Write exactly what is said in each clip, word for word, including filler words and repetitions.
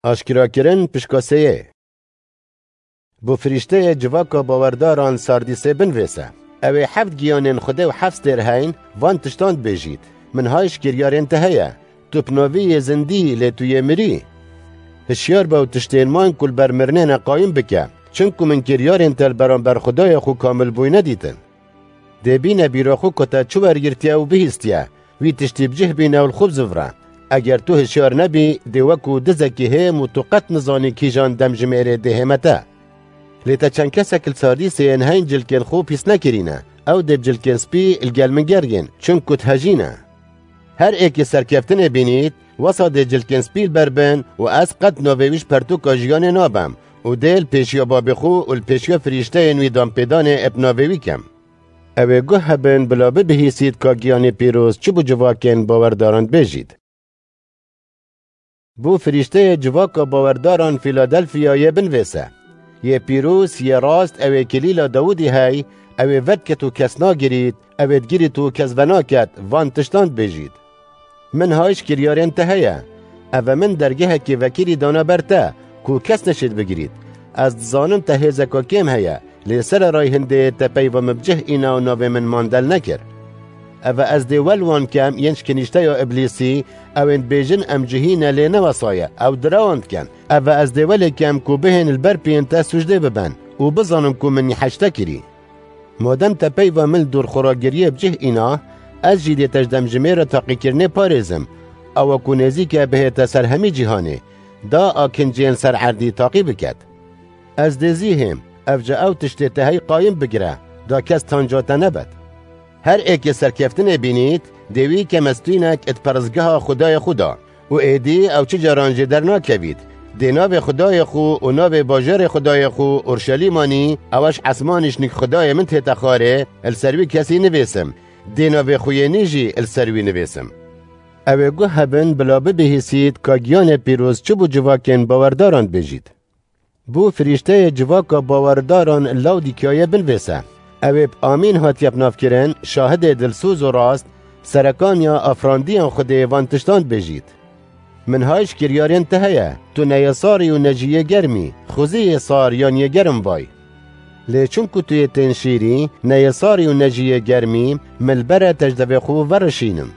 Aşkerakirin pişka sêyê. Bo firîşteyê civaka bawerdaran Sardîsê binvêse. Ew ê heft giyanên Xwedê û heft stêr heyn, van tiştan dibêjît: Min hay ji kiryarên te heye. Tu bi navî yê zindî, lê tu yê mirî. Hişyar be û tiştên wan ku li ber mirinê ne qayîm bike. Çimku min kiryarên te li beramber Xwedayê xwe kamil bûyî nedîtin. Dê bîne bîra xwe ku te çi wergirtiye û bihîstiye, wî tiştî bi cih bîne û li xwe bizivre. Eger tu hişyar nebî, dê wekû dizekî hêm û tu qet nizanî kîjan demjimêrê dê hême te. Lê te çend kesek li Sardîsê yên heyn cilkên xwe pîs nekirîne. Ew dê bi cilkên spî li gel min gergên, çimku dihejîne. Her êkê serkeftinê bînît, wesa dê cilkên spî li ber bin û ez qet navê wî ji pertûka jiyanê nabem û dê li pêşiya babê xwe û li pêşiya firîşteyên wî danpêdanê ê bi navê wî kem. Ew ê guh hebin bila bibihîsît ka giyanê pîroz çi bo civakên bawerdaran dibêjît. Bo firîşteyê civaka bawerdaran Fîladelfiyayê binvêse: Yê pîroz, yê rast, ew ê kilîla Dawidî hey, ew ê vedket û kes nagirît, ew ê digirît û kes venaket, van tiştan dibêjît: Min hay ji kiryarên te heye. Eve min dergehekê vekirî dana ber te, ku kes neşêt bigirît. Ez dizanim te hêzeka kêm heye, lê sererayî hindê te peyva min bi cih îna û navê min mandel nekir. Eve ez dê wel wan kem yên ji kinîşteya Îblîsî, ew ên dibêjin em cihî ne lê ne wesa ye, ew direwan dikin. Eve ez dê welê kem ku bihên li ber piyên te sûcdê biben û bizanin ku min nîheş te kirî. Madem te peyva min li dûr xwe re giriyê bi cih îna, ez jî dê te ji demjimêra taqîkirinê parêzim, ewa ku nêzîk e bihête ser hemî cîhanê, da a kincên ser erdî taqî biket. Ez dê zî hêm, evca ew tiştê te hey qayîm bigire, da kes tanca te nebet. Her êkê serkeftinê bînît, dê wî kemestînek it peristgeha Xwedayê xwe da û êdî ew çi caran jê dernakevît. Dê navê Xwedayê xwe û navê bajarê Xwedayê xwe Urşelîm anî, ew ji esmanî ji nik Xwedayê min tête xwarê, li ser wî kesî nivêsim. Dê navê xwe yê nî jî li ser wî nivêsim. Ew ê guh hebin bila bibihîsît ka giyanê pîroz çi bo civakên bawerdaran dibêjît. Bo firîşteyê civaka bawerdaran Lawdîkyayê binvêse: Ew ê bi amîn hatiye binavkirin, şahidê dilsoz û rast, serekaniya afrandiyan Xwedê van tiştan dibêjît: Min hay ji kiryarên te heye, tu ne yê sarî û ne jî yê germî, xwezî yê sar yan yê germ vay. Lê çimku tu yê tên şîrî, ne yê sarî û ne jî yê germî, min li ber e te ji devê xwe verişînim.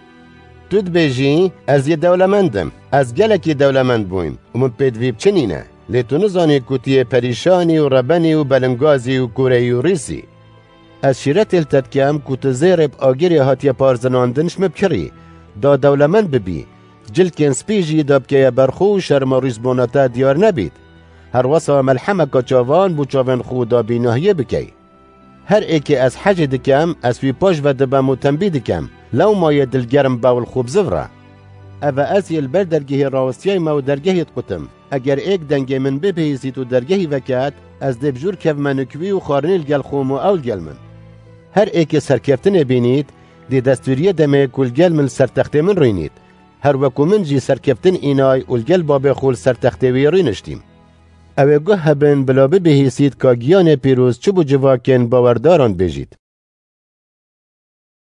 Tu dibêjî, ez yê dewlemend im, ez gelekî dewlemend bûyim û min pêdivî bi çi nîne. Lê tu nizanî ku tu yê perîşanî û rebenî û belingazî û kûreyî û rîsî. Ez şîretê li te dikem ku tu zêrê bi agirê hatiye parzinandin ji min bikirî, da dewlemend bibî, cilkên spî jî da bikeye ber xwe û şerma rîsbûna te diyar nebît. Herwesa melhemeka çavan bo çavên xwe da bînahiyê bikey. Her êkê ez hecê dikem, ez wî paş ve dibem û tembî dikem, lewma yê dilgerm be û li xwe bizivre. Eve ez yê li ber dergehê rawestiyayme û dergehê dikutim. Eger êk dengê min bibihîsît û dergehî veket, ez dê bi jûr kevme nik wî û xwarinî li gel xwe û ew li gel min. Her êkê serkeftinê bînît, dê destûriyê demê ku li gel min li ser textê min rûnît. Her weku min jî serkeftin înay û li gel babê xwe li ser textê wî rûniştîm. Ew ê guh hebin bila bibihîsît ka giyanê pîroz çi bo civakên bawerdaran bêjît.